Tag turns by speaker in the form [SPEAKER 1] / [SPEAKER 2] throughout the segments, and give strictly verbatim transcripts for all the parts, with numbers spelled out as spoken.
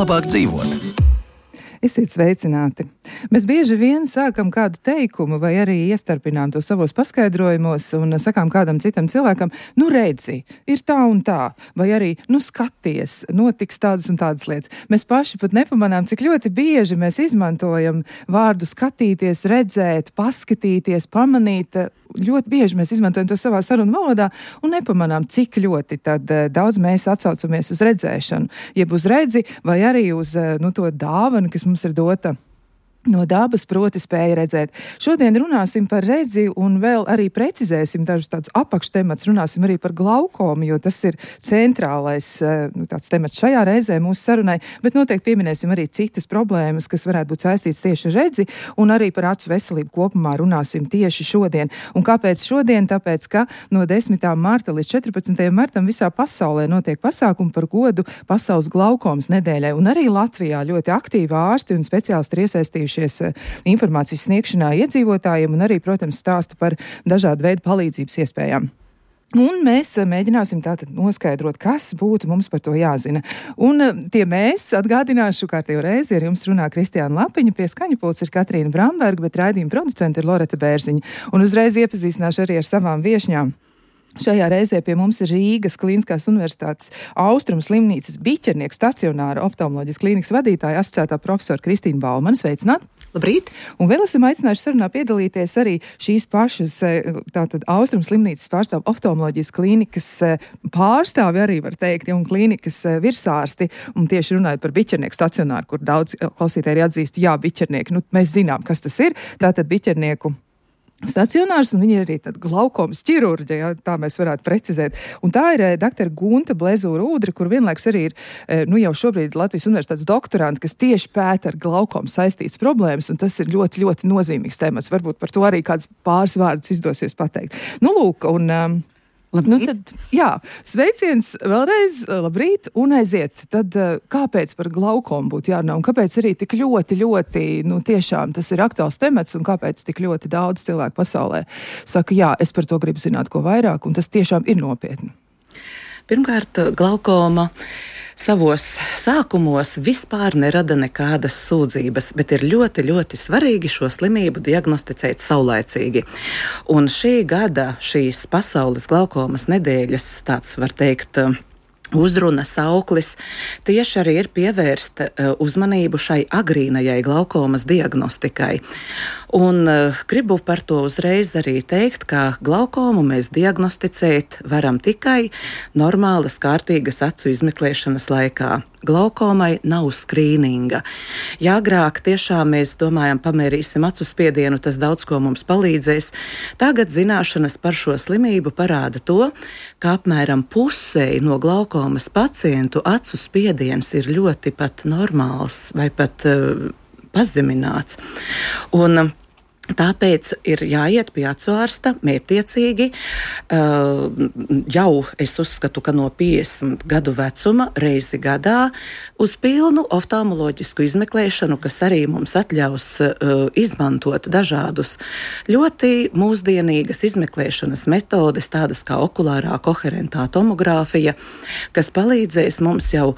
[SPEAKER 1] Labāk dzīvot.
[SPEAKER 2] Esiet sveicināti! Mēs bieži vien sākam kādu teikumu vai arī iestarpinām to savos paskaidrojumos un sakām kādam citam cilvēkam, nu redzi, ir tā un tā, vai arī, nu skaties, notiks tādas un tādas lietas. Mēs paši pat nepamanām, cik ļoti bieži mēs izmantojam vārdu skatīties, redzēt, paskatīties, pamanīt. Ļoti bieži mēs izmantojam to savā sarunu valodā un nepamanām, cik ļoti tad daudz mēs atsaucamies uz redzēšanu, jeb uz redzi vai arī uz nu, to dāvanu, kas mums ir dota no dabas, proti spēja redzēt. Šodien runāsim par redzi un vēl arī precizēsim dažus tādus apakštemats, runāsim arī par glaukomu, jo tas ir centrālais nu, tāds temats šajā reizē mūsu sarunai, bet noteikti pieminēsim arī citas problēmas, kas varētu būt saistīts tieši ar redzi, un arī par acu veselību kopumā runāsim tieši šodien. Un kāpēc šodien? Tāpēc, ka no desmitā marta līdz četrpadsmitajam martam visā pasaulē notiek pasākumi par godu pasaules glaukomas nedēļai, un arī Latvijā ļoti aktīvi ārsti un speciālisti ir iesaistījuši informācijas sniegšanā iedzīvotājiem un arī, protams, stāsta par dažādu veidu palīdzības iespējām. Un mēs mēģināsim tātad noskaidrot, kas būtu mums par to jāzina. Un tie mēs, atgādināšu kārtējo reizi, ar jums runā Kristiāna Lapiņa, pie skaņu pults ir Katrīna Bramberga, bet raidījuma producente ir Loreta Bērziņa. Un uzreiz iepazīstināšu arī ar savām viešņām. Šajā reizē pie mums ir Rīgas Kliniskās universitātes Austrumu slimnīcas Biķernieku stacionāra oftalmoloģijas klīnikas vadītāja asociētā profesora Kristīna Baumana. Sveicināt!
[SPEAKER 3] Labrīt!
[SPEAKER 2] Un vēl esam aicinājuši sarunā piedalīties arī šīs pašas tātad Austrumu slimnīcas pārstāv oftalmoloģijas klīnikas pārstāvi arī var teikt, un klīnikas virsārsti. Un tieši runājot par Biķernieku stacionāru, kur daudz klausītāji atzīst, jā, Biķernieki, nu mēs zinām, kas tas ir. Tātad Biķernieku stacionārs, un viņi ir arī tad glaukomas ķirurģi, ja, tā mēs varētu precizēt. Un tā ir doktora Gunta Blezūra-Ūdra, kur vienlaiks arī ir, nu jau šobrīd Latvijas universitātes doktoranti, kas tieši pēta ar glaukomu saistītas problēmas, un tas ir ļoti, ļoti nozīmīgs temats. Varbūt par to arī kāds pāris vārdus izdosies pateikt. Nu, lūk, un... Um, Nu tad, jā, sveiciens vēlreiz, labrīt, un aiziet. Tad kāpēc par glaukomu būtu jārunā, un kāpēc arī tik ļoti, ļoti, nu tiešām tas ir aktuāls temats, un kāpēc tik ļoti daudz cilvēku pasaulē saka, jā, es par to gribu zināt ko vairāk, un tas tiešām ir nopietni.
[SPEAKER 3] Pirmkārt, glaukoma savos sākumos vispār nerada nekādas sūdzības, bet ir ļoti, ļoti svarīgi šo slimību diagnosticēt saulaicīgi. Un šī gada, šīs pasaules glaukomas nedēļas, tāds var teikt, uzruna sauklis tieši arī ir pievērsta uzmanību šai agrīnajai glaukomas diagnostikai. Un uh, gribu par to uzreiz arī teikt, ka glaukomu mēs diagnosticēt varam tikai normālas, kārtīgas acu izmeklēšanas laikā. Glaukomai nav skrīninga. Ja agrāk tiešām mēs domājam, pamērīsim acu spiedienu, tas daudz ko mums palīdzēs. Tagad zināšanas par šo slimību parāda to, ka apmēram pusei no glaukomas pacientu acu spiediens ir ļoti pat normāls vai pat uh, pazemināts. Un tāpēc ir jāiet pie acu ārsta mērķtiecīgi. Uh, jau es uzskatu, ka no piecdesmit gadu vecuma reizi gadā uz pilnu oftalmoloģisku izmeklēšanu, kas arī mums atļaus uh, izmantot dažādus ļoti mūsdienīgas izmeklēšanas metodes, tādas kā okulārā koherentā tomogrāfija, kas palīdzēs mums jau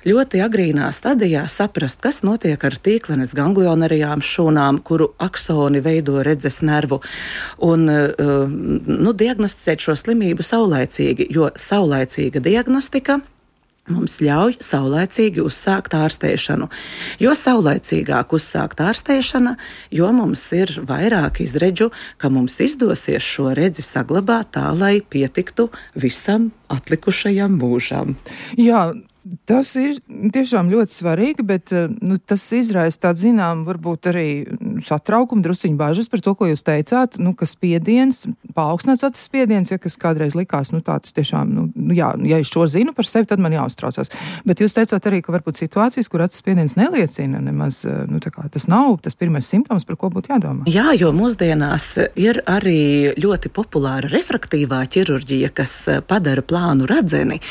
[SPEAKER 3] ļoti agrīnā stadijā saprast, kas notiek ar tīklenes ganglionarijām šūnām, kuru aksoni veido redzes nervu, un nu, diagnosticēt šo slimību saulaicīgi, jo saulaicīga diagnostika mums ļauj saulaicīgi uzsākt ārstēšanu. Jo saulaicīgāk uzsākt ārstēšana, jo mums ir vairāk izredžu, ka mums izdosies šo redzi saglabāt tā, lai pietiktu visam atlikušajam mūžam.
[SPEAKER 2] Jā, Tas ir tiešām ļoti svarīgi, bet nu, tas izraisa tādu zinām, varbūt arī satraukumu, drusciņu bažas par to, ko jūs teicāt, nu, ka spiediens, paaugstināts acis spiediens, ja kas kādreiz likās, nu, tāds tiešām, nu, jā, ja es šo zinu par sevi, tad man jāuztraucās. Bet jūs teicāt arī, ka varbūt situācijas, kur acis spiediens neliecina nemaz, nu, tā kā tas nav tas pirmais simptoms, par ko būtu jādomā.
[SPEAKER 3] Jā, jo mūsdienās ir arī ļoti populāra refraktīvā ķirurģija, kas padara plānu redzeni,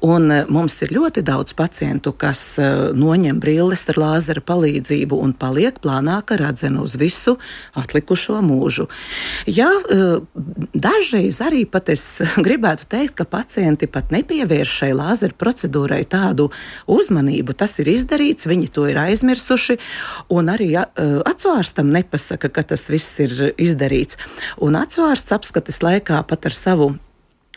[SPEAKER 3] un mums ir ļoti daudz pacientu, kas noņem brilles ar lāzera palīdzību un paliek plānāka redzena uz visu atlikušo mūžu. Jā, dažreiz arī pat es gribētu teikt, ka pacienti pat nepievērš šai lāzera procedūrai tādu uzmanību. Tas ir izdarīts, viņi to ir aizmirsuši, un arī acuārstam nepasaka, ka tas viss ir izdarīts. Un acuārsts apskates laikā pat ar savu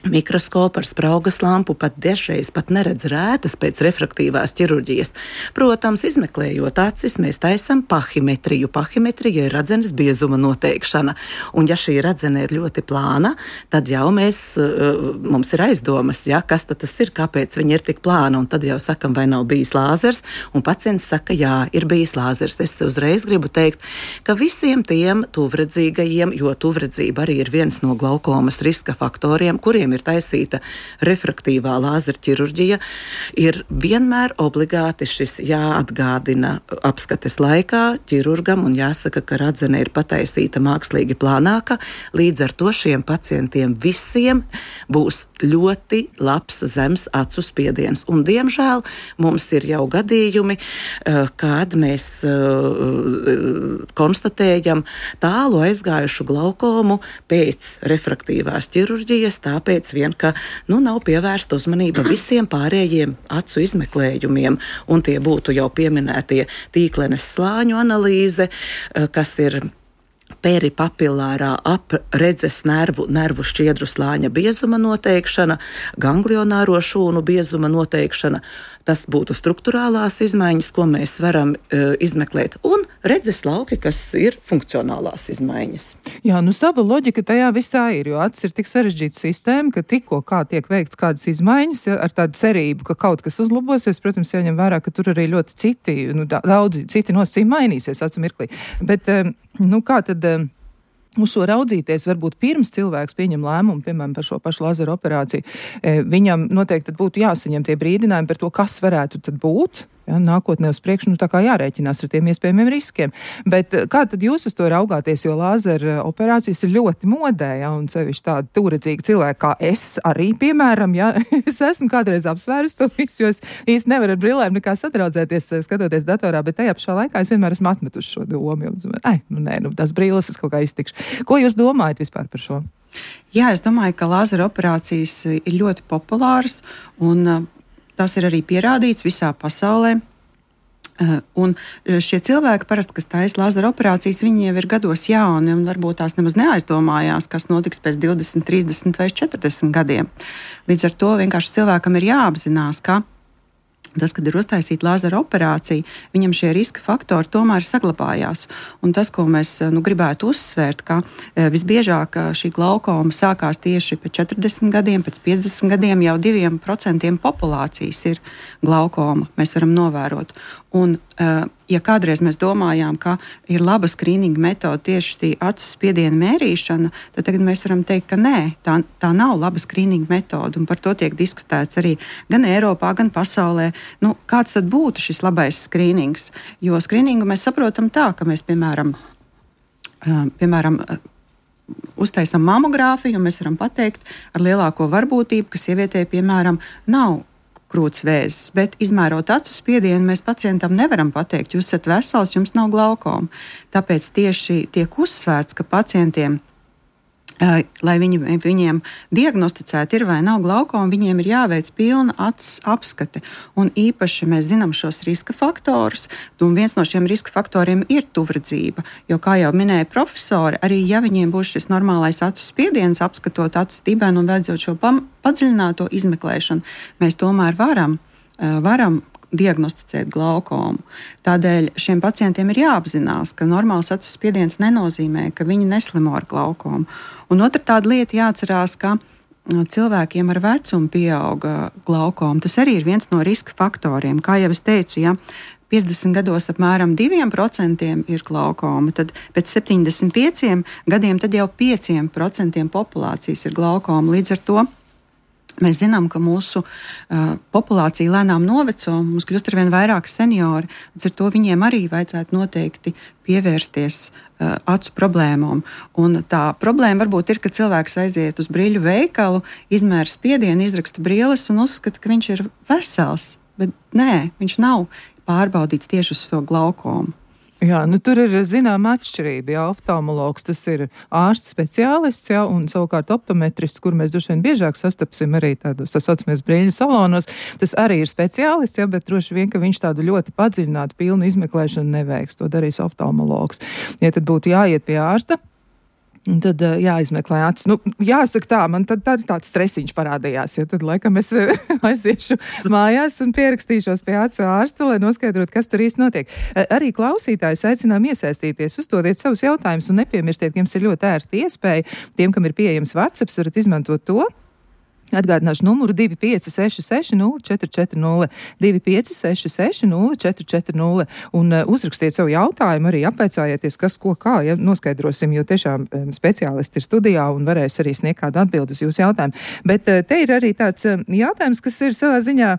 [SPEAKER 3] mikroskopu ar spraugas lampu pat dažreiz pat neredz rētas pēc refraktīvās ķirurģijas. Protams, izmeklējot acis, mēs taisam pahimetriju. Pahimetrija ir redzenes biezuma noteikšana. Un ja šī redzene ir ļoti plāna, tad jau mēs, mums ir aizdomas, ja, kas tad tas ir, kāpēc viņa ir tik plāna. Un tad jau sakam, vai nav bijis lāzers. Un pacients saka, jā, ir bijis lāzers. Es uzreiz gribu teikt, ka visiem tiem tuvredzīgajiem, jo tuvredzība arī ir viens no glaukomas riska faktoriem, kuriem ir taisīta refraktīvā lāzera ķirurģija, ir vienmēr obligāti šis jāatgādina apskates laikā ķirurgam un jāsaka, ka redzene ir pataisīta mākslīgi plānāka. Līdz ar to šiem pacientiem visiem būs ļoti labs zems acu spiediens. Un, diemžēl, mums ir jau gadījumi, kad mēs konstatējam tālu aizgājušu glaukomu pēc refraktīvās ķirurģijas, tāpēc vien, ka nu, nav pievērsta uzmanība visiem pārējiem acu izmeklējumiem, un tie būtu jau pieminētie tīklenes slāņu analīze, kas ir peripapilārā apredzes nervu, nervu šķiedru slāņa biezuma noteikšana, ganglionāro šūnu biezuma noteikšana. Tas būtu struktūrālās izmaiņas, ko mēs varam uh, izmeklēt, un redzes lauki, kas ir funkcionālās izmaiņas.
[SPEAKER 2] Jā, nu sava loģika tajā visā ir, jo acis ir tik sarežģīta sistēma, ka tikko kā tiek veikts kādas izmaiņas, ja, ar tādu cerību, ka kaut kas uzlabosies, protams, jāņem vērā, ka tur arī ļoti citi, nu, daudzi citi nosacījumi mainīsies acu mirklī. Bet, um, nu kā tad uz šo raudzīties, varbūt pirms cilvēks pieņem lēmumu, piemēram, par šo pašu lāzera operāciju, viņam noteikti būtu jāsaņem tie brīdinājumi par to, kas varētu tad būt. Ja, nākotnē uz priekšu, nu tā kā jārēķinās ar tiem iespējamiem riskiem. Bet kā tad jūs uz to raugāties, jo lāzera operācijas ir ļoti modē, ja, un sevišķi tādi tūredzīga cilvēki kā es arī, piemēram, ja, es esmu kādreiz apsvērus to visu, jo es īsti nevaru ar brillēm nekā satraucēties, skatoties datorā, bet tajā pašā laikā es vienmēr esmu atmetuši šo domu, jo, ai, nu nē, nu tās brilles es kaut kā iztikšu. Ko jūs domājat vispār par šo?
[SPEAKER 4] Jā, es domāju, ka lāzera operācijas ir ļoti populāras, un tas ir arī pierādīts visā pasaulē. Un šie cilvēki, parasti, kas taisa lāzera operācijas, viņi jau ir gados jauni un varbūt tās nemaz neaizdomājās, kas notiks pēc divdesmit, trīsdesmit vai četrdesmit gadiem. Līdz ar to vienkārši cilvēkam ir jāapzinās, ka tas, kad ir uztaisīta lāzera operācija, viņam šie riska faktori tomēr saglabājās. Un tas, ko mēs nu, gribētu uzsvērt, ka e, visbiežāk šī glaukoma sākās tieši pēc četrdesmit gadiem, pēc piecdesmit gadiem jau diviem procentiem populācijas ir glaukoma, mēs varam novērot. Un, e, ja kādreiz mēs domājām, ka ir laba skrīninga metode tieši šī acu spiediena mērīšana, tad tagad mēs varam teikt, ka nē, tā, tā nav laba skrīninga metode. Un par to tiek diskutēts arī gan Eiropā, gan pasaulē. Nu, kāds tad būtu šis labais skrīnings? Jo skrīningu mēs saprotam tā, ka mēs, piemēram, piemēram uztaisam mamogrāfiju, un mēs varam pateikt ar lielāko varbūtību, ka sievietei, piemēram, nav krūts vēzis, bet izmērot acu spiedienu, mēs pacientam nevaram pateikt, jūs esat vesels, jums nav glaukoma. Tāpēc tieši tiek uzsvērts, ka pacientiem, lai viņi, viņiem diagnosticētu ir vai nav glaukoma, viņiem ir jāveic pilna acis apskate. Un īpaši mēs zinām šos riska faktorus, un viens no šiem riska faktoriem ir tuvredzība. Jo, kā jau minēja profesori, arī ja viņiem būs šis normālais acu spiediens, apskatot acis dibenu un veidzot šo padziļināto izmeklēšanu, mēs tomēr varam, varam diagnosticēt glaukomu. Tādēļ šiem pacientiem ir jāapzinās, ka normāls acu spiediens nenozīmē, ka viņi neslimo ar glaukomu. Un otra tāda lieta jāatcerās, ka cilvēkiem ar vecumu pieauga glaukoma. Tas arī ir viens no riska faktoriem. Kā jau es teicu, ja piecdesmit gados apmēram diviem procentiem ir glaukoma, tad pēc septiņdesmit pieciem gadiem tad jau pieciem procentiem populācijas ir glaukoma. Līdz ar to mēs zinām, ka mūsu uh, populācija lēnām noveco, mums kļūst arvien vairāk seniori, līdz ar to viņiem arī vajadzētu noteikti pievērsties uh, acu problēmām. Un tā problēma varbūt ir, ka cilvēks aiziet uz brīļu veikalu, izmēra spiedienu, izraksta brīles un uzskata, ka viņš ir vesels, bet nē, viņš nav pārbaudīts tieši uz to glaukomu.
[SPEAKER 2] Jā, nu tur ir zināma atšķirība, jā, oftalmologs tas ir ārsts speciālists, jā, un savukārt optometrists, kur mēs droši vien biežāk sastapsim arī tādos, tā saucamies brīļu salonos, tas arī ir speciālists, jā, bet droši vien, ka viņš tādu ļoti padziļinātu pilnu izmeklēšanu neveiks, to darīs oftalmologs. Ja tad būtu jāiet pie ārsta, un tad jāizmeklē acis. Nu, jāsaka tā, man tad, tad tāds stresiņš parādījās, ja tad laikam es aiziešu mājās un pierakstīšos pie acu ārsta, lai noskaidrotu, kas tur īsti notiek. Arī klausītājus aicinām iesaistīties, uzdodiet savus jautājumus un nepiemirstiet, ka jums ir ļoti ērsta iespēja. Tiem, kam ir pieejams WhatsApp, varat izmantot to. Atgādināšu numuru divi pieci seši seši nulle četri četri nulle, divi pieci seši seši nulle četri četri nulle un uh, uzrakstiet savu jautājumu, arī apvaicājieties, kas ko kā, ja noskaidrosim, jo tiešām um, speciālisti ir studijā un varēs arī sniegt kādu atbildi uz jūsu jautājumu. Bet uh, te ir arī tāds uh, jautājums, kas ir savā ziņā,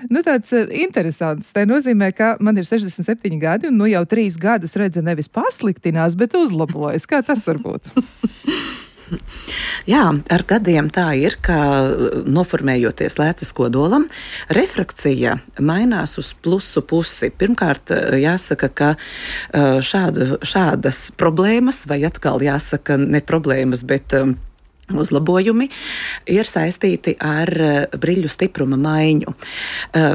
[SPEAKER 2] nu tāds uh, interesants. Tā nozīmē, ka man ir sešdesmit septiņi gadi un nu jau trīs gadus redze nevis pasliktinās, bet uzlabojas. Kā tas var būt?
[SPEAKER 3] Jā, ar gadiem tā ir, ka noformējoties lēcas kodolam, refrakcija mainās uz plusu pusi. Pirmkārt, jāsaka, ka šāda, šādas problēmas, vai atkal jāsaka ne problēmas, bet uzlabojumi ir saistīti ar briļu stipruma maiņu.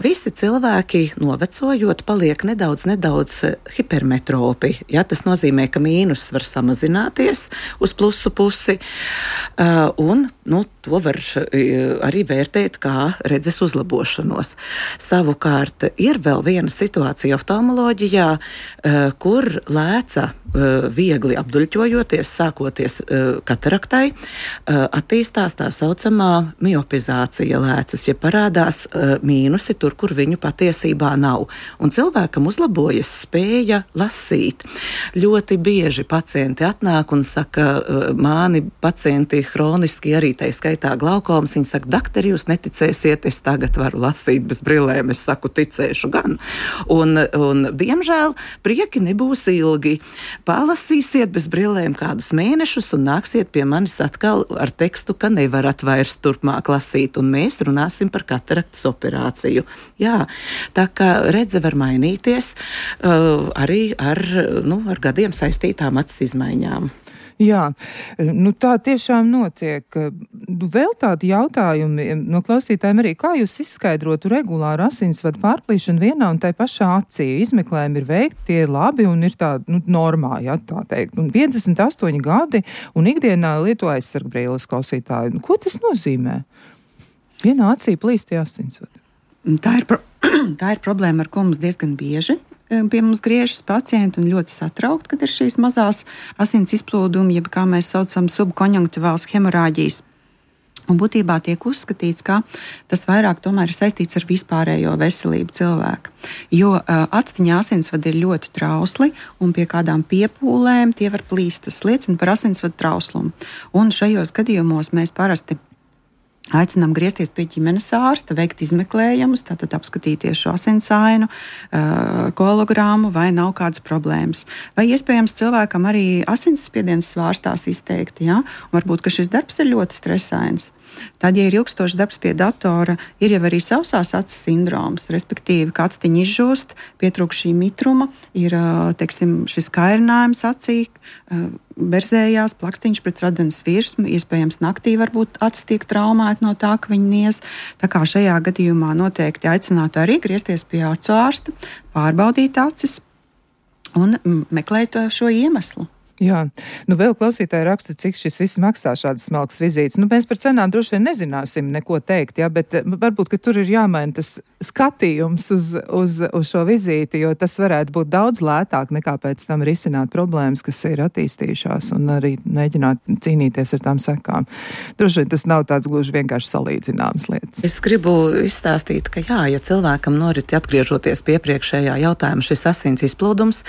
[SPEAKER 3] Visi cilvēki novecojot paliek nedaudz, nedaudz hipermetropi. Ja, tas nozīmē, ka mīnus var samazināties uz plusu pusi, un nu, to var arī vērtēt kā redzes uzlabošanos. Savukārt ir vēl viena situācija oftalmoloģijā, kur lēca viegli apduļķojoties, sākoties kataraktai, attīstās tā saucamā miopizācija lēcas, ja parādās mīnusi tur, kur viņu patiesībā nav. Un cilvēkam uzlabojas spēja lasīt. Ļoti bieži pacienti atnāk un saka, mani pacienti hroniski arī tai skaitā glaukomas, viņi saka, daktari, jūs neticēsiet, es tagad varu lasīt bez brillēm, es saku, ticēšu gan. Un, un diemžēl, prieki nebūs ilgi. Palasīsiet bez brillēm kādus mēnešus un nāksiet pie manis atkal ar tekstu, ka nevarat vairs turpmāk lasīt, un mēs runāsim par kataraktas operāciju. Jā, tā kā redze var mainīties uh, arī ar, nu, ar gadiem saistītām acis izmaiņām.
[SPEAKER 2] Jā, nu tā tiešām notiek. Vēl tādi jautājumi no klausītājiem arī, kā jūs izskaidrotu regulāru asinsvadu pārplīšanu vienā un tai pašā acī? Izmeklējumi ir veikti, tie ir labi un ir tā, nu, normā, jā, tā teikt. Un piecdesmit astoņi gadi un ikdienā lieto aizsargbrīles klausītāji. Ko tas nozīmē? Vienā acī plīst tie asinsvadi.
[SPEAKER 4] Tā ir, pro- tā ir problēma, ar ko mums diezgan bieži pie mums griežas pacienti un ļoti satraukti, kad ir šīs mazās asins izplūdumi, jeb kā mēs saucam subkonjunktivāls hemorāģijas. Un būtībā tiek uzskatīts, ka tas vairāk tomēr ir saistīts ar vispārējo veselību cilvēka. Jo uh, actiņā asinsvadi ir ļoti trausli un pie kādām piepūlēm tie var plīst. Tas liecina par asinsvadu trauslumu. Un šajos gadījumos mēs parasti aicinām griezties pie ģimenes ārsta, veikt izmeklējumus, tātad apskatīties šo asinsainu, koagulogrammu, vai nav kādas problēmas. Vai iespējams cilvēkam arī asinsspiediens svārstās izteikti, ja? Varbūt, ka šis darbs ir ļoti stresains. Tad, ja ir ilgstošs darbs pie datora, ir jau arī sausās acis sindroms, respektīvi, ka actiņi izžūst, pietrūkst šī mitruma, ir, teiksim, šis kairinājums acī, berzējās, plakstiņš pret radzenes virsmu, iespējams naktī varbūt acis tiek traumēta no tā, ka viņi niez. Tā kā šajā gadījumā noteikti aicinātu arī griezties pie acu ārsta, pārbaudīt acis un meklēt šo iemeslu.
[SPEAKER 2] Jā, nu vēl klausītāji raksta, cik šis viss maksā šādas smalkas vizītes. Nu, mēs par cenām droši vien nezināsim neko teikt, jā, bet varbūt, ka tur ir jāmaina tas skatījums uz, uz, uz šo vizīti, jo tas varētu būt daudz lētāk nekā pēc tam risināt problēmas, kas ir attīstījušās un arī mēģināt cīnīties ar tām sekām. Droši vien tas nav tāds gluži vienkārši salīdzināmas lietas.
[SPEAKER 3] Es gribu izstāstīt, ka jā, ja cilvēkam norit atgriežoties pie iepriekšējā jautājuma šis asins izplūdums,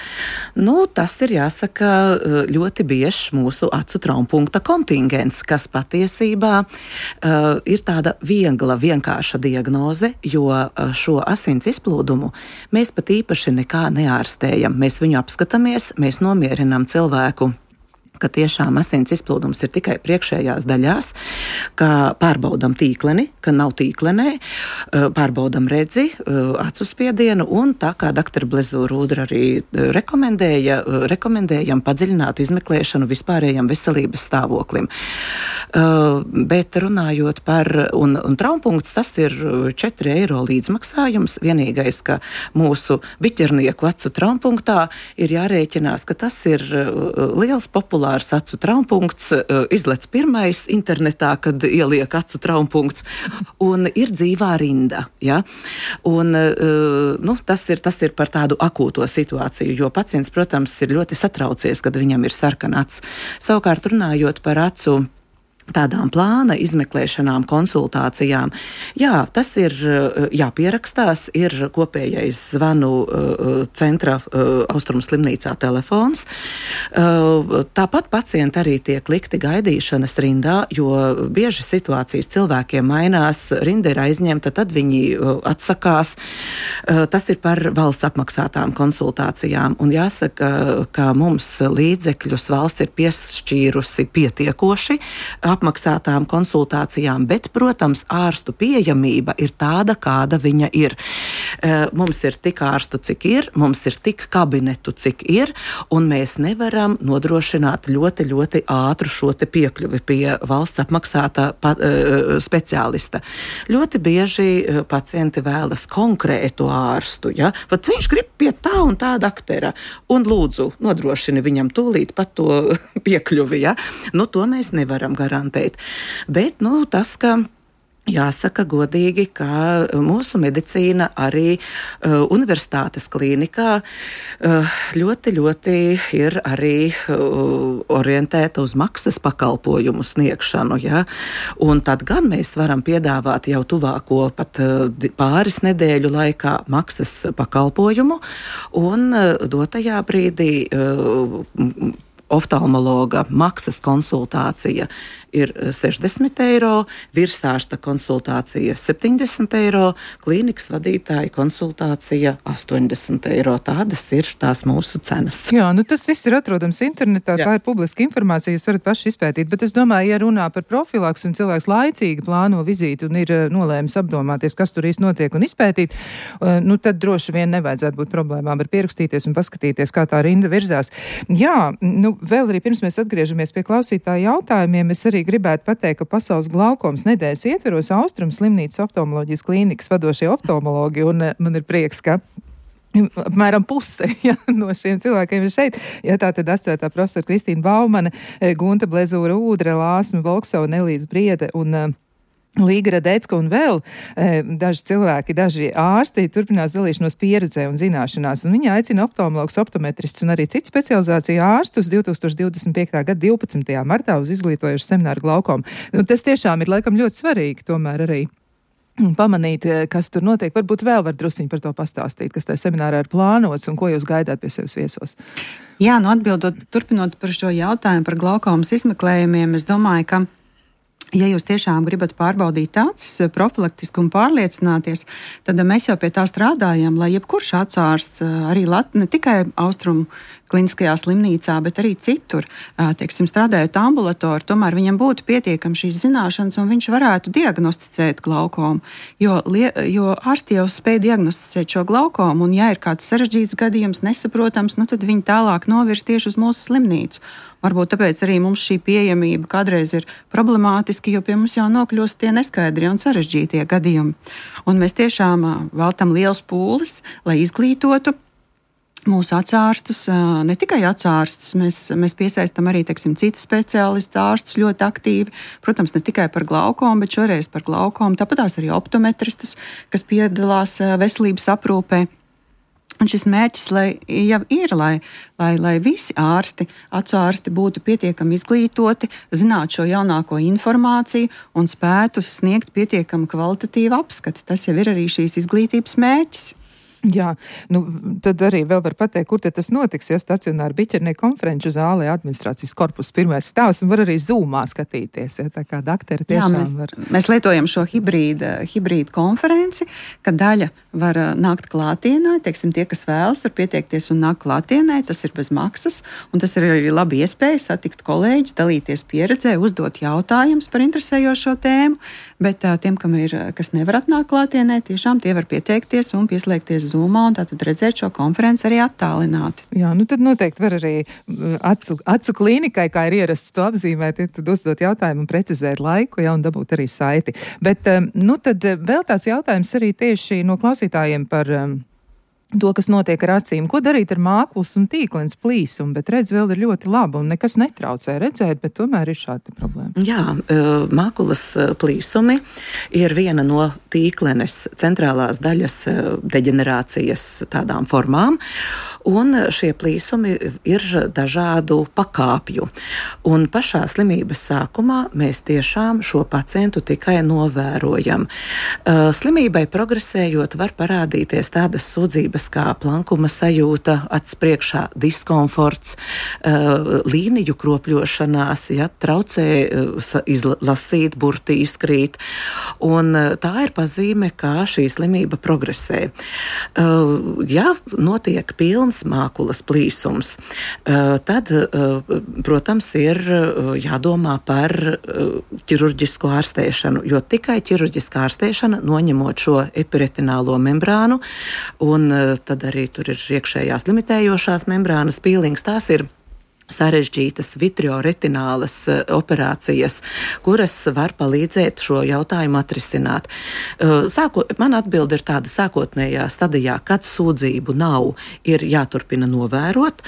[SPEAKER 3] nu, tas ir jāsaka ļoti biežs mūsu acu traumpunkta kontingents, kas patiesībā uh, ir tāda viegla, vienkārša diagnoze, jo uh, šo asins izplūdumu mēs pat īpaši nekā neārstējam. Mēs viņu apskatāmies, mēs nomierinām cilvēku, ka tiešām asins izplūdums ir tikai priekšējās daļās, ka pārbaudam tīkleni, ka nav tīklenē, pārbaudam redzi, acu spiedienu un tā kā doktora Blezūra Ūdra arī rekomendēja, rekomendējam padziļinātu izmeklēšanu vispārējam veselības stāvoklim. Bet runājot par, un, un traumpunkts, tas ir četri eiro līdzmaksājums, vienīgais, ka mūsu biķernieku acu traumpunktā ir jārēķinās, ka tas ir liels populārs acu traumpunkts, izlec pirmais internetā, kad ieliek acu traumpunkts, un ir dzīvā rinda. Ja? Un, nu, tas, ir, tas ir par tādu akūto situāciju, jo pacients, protams, ir ļoti satraucies, kad viņam ir sarkana acs. Savukārt runājot par acu tādām plāna izmeklēšanām, konsultācijām. Jā, tas ir jāpierakstās, ir kopējais zvanu centra Austrumu slimnīcā telefons. Tāpat pacienti arī tiek likti gaidīšanas rindā, jo bieži situācijas cilvēkiem mainās, rinda ir aizņemta, tad viņi atsakās. Tas ir par valsts apmaksātām konsultācijām. Un jāsaka, ka mums līdzekļus valsts ir piešķīrusi pietiekoši apmaksātām konsultācijām, bet, protams, ārstu pieejamība ir tāda, kāda viņa ir. Mums ir tik ārstu, cik ir, mums ir tik kabinetu, cik ir, un mēs nevaram nodrošināt ļoti, ļoti ātru šo te piekļuvi pie valsts apmaksātā pa, speciālista. Ļoti bieži pacienti vēlas konkrētu ārstu, ja? Vat viņš grib pie tā un tā daktera, un lūdzu, nodrošini viņam tūlīt pat to piekļuvi, ja? Nu, to mēs nevaram garantēt. Bet, nu, tas, ka jāsaka godīgi, ka mūsu medicīna arī uh, universitātes klīnikā uh, ļoti, ļoti ir arī uh, orientēta uz maksas pakalpojumu sniegšanu. Ja? Un tad gan mēs varam piedāvāt jau tuvāko pat uh, pāris nedēļu laikā maksas pakalpojumu, un uh, dotajā brīdī uh, oftalmologa maksas konsultācija ir sešdesmit eiro, virsārsta konsultācija septiņdesmit eiro, klīnikas vadītāja konsultācija astoņdesmit eiro. Tādas ir tās mūsu cenas.
[SPEAKER 2] Jā, nu tas viss ir atrodams internetā, Jā. Tā ir publiska informācija, jūs varat paši izpētīt, bet es domāju, ja runā par profilaks un cilvēks laicīgi plāno vizīti un ir nolēmis apdomāties, kas tur īsti notiek un izpētīt, nu tad droši vien nevajadzētu būt problēmām ar pierakstīties un paskatīties, kā tā rinda virzās. Jā, nu vēl arī pirms mēs atgriežamies pie klausītāju jautājumiem, es arī gribētu pateikt, ka Pasaules glaukomas nedēļas ietveros Austrumu slimnīcas oftalmoloģijas klīnikas vadošie oftalmologi, un man ir prieks, ka apmēram puse ja, no šiem cilvēkiem ir šeit. Ja, tā tad asociētā profesora Kristīna Baumane, Gunta Blezūra Ūdre, Lāsma Volksova, Nelīdz Briede un Līga Radecka un vēl e, daži cilvēki, daži ārsti turpinās dalīšanos pieredzē un zināšanās. Un viņi aicina oftalmologus, optometrists un arī citu specializāciju ārstus divtūkstoš divdesmit piektajā gada divpadsmitajā martā uz izglītojušu semināru glaukomu. Nu, tas tiešām ir laikam ļoti svarīgi tomēr arī pamanīt, kas tur notiek. Varbūt vēl var drusciņi par to pastāstīt, kas tajā seminārā ir plānots un ko jūs gaidāt pie sevis viesos.
[SPEAKER 4] Jā, nu atbildot, turpinot par šo jautājumu par glaukomas izmeklējumiem, es domāju, ka ja jūs tiešām gribat pārbaudīt acis profilaktiski un pārliecināties, tad mēs jau pie tā strādājam, lai jebkurš acu ārsts, arī Lat, ne tikai Austrumu kliniskajā slimnīcā, bet arī citur, teiksim, strādājot ambulatori, tomēr viņam būtu pietiekami šīs zināšanas un viņš varētu diagnosticēt glaukomu, jo, jo ārsti jau spēj diagnosticēt šo glaukomu, un ja ir kāds sarežģīts gadījums, nesaprotams, nu tad viņi tālāk novirs tieši uz mūsu slimnīcu. Varbūt tāpēc arī mums šī pieejamība kādreiz ir problemātiski, jo pie mums jau nokļūst tie neskaidrie un sarežģītie gadījumi. Un mēs tiešām veltam liels pūles, lai izglītotu mūsu acārstus, ne tikai acārstus, mēs, mēs piesaistam arī, teiksim, citu speciālistu ārstus ļoti aktīvi. Protams, ne tikai par glaukomu, bet šoreiz par glaukomu. Tāpatās arī optometristus, kas piedalās veselības aprūpē. Un šis mērķis lai, jau ir, lai, lai, lai visi ārsti, acu ārsti būtu pietiekami izglītoti, zinātu šo jaunāko informāciju un spētu sniegt pietiekami kvalitatīvu apskati. Tas jau ir arī šīs izglītības mērķis.
[SPEAKER 2] Jā, nu, tad arī vēl var pateikt, kur tas notiks, ja stacionāra biķernieku konferenču zālē administrācijas korpusa pirmais stāvs un var arī zūmā skatīties, ja tā kā dakteri tiešām Jā,
[SPEAKER 4] mēs,
[SPEAKER 2] var.
[SPEAKER 4] Mēs lietojam šo hibrīdu, hibrīdu konferenci, ka daļa var nākt klātienē, teiksim, tie, kas vēlas, var pieteikties un nākt klātienē, tas ir bez maksas, un tas ir arī labi iespēja satikt kolēģis, dalīties pieredzē, uzdot jautājumus par interesējošo tēmu, bet tiem, kam ir, kas nevar atnākt klātienē, tiešām tie var pieteikties un pieslēgties Zoomā un tātad redzēt šo konferenci arī attālināti.
[SPEAKER 2] Jā, nu tad noteikti var arī acu, acu klīnikai, kā ir ierasts to apzīmēt, tad uzdot jautājumu un precizēt laiku, jā, un dabūt arī saiti. Bet, nu tad vēl tāds jautājums arī tieši no klausītājiem par to, kas notiek ar acīm. Ko darīt ar mākulas un tīklens plīsumu, bet redz vēl ir ļoti laba un nekas netraucē redzēt, bet tomēr ir šāda problēma.
[SPEAKER 3] Jā, mākulas plīsumi ir viena no tīklenes centrālās daļas deģenerācijas tādām formām, un šie plīsumi ir dažādu pakāpju. Un pašā slimības sākumā mēs tiešām šo pacientu tikai novērojam. Slimībai progresējot var parādīties tādas sūdzības kā plankuma sajūta, acs priekšā diskomforts, līniju kropļošanās, ja, traucē izlasīt, burti izkrīt. Un tā ir pazīme, kā šī slimība progresē. Ja notiek pilns mākulas plīsums, tad, protams, ir jādomā par ķirurģisko ārstēšanu, jo tikai ķirurģiskā ārstēšana, noņemot šo epiretinālo membrānu, un tad arī tur ir iekšējās limitējošās membrānas pīlings, tās ir sarežģītas vitrioretinālas operācijas, kuras var palīdzēt šo jautājumu atrisināt. Sāko, man atbilde ir tāda sākotnējā stadijā, kad sūdzību nav, ir jāturpina novērot,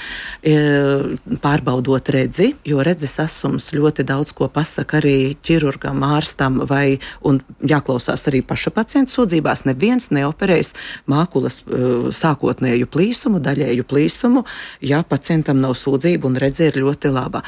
[SPEAKER 3] pārbaudot redzi, jo redzes asums ļoti daudz ko pasaka arī ķirurgam, ārstam vai, un jāklausās arī paša pacienta sūdzībās, neviens neoperēs mākulas sākotnēju plīsumu, daļēju plīsumu, ja pacientam nav sūdzību un redze ir ļoti laba.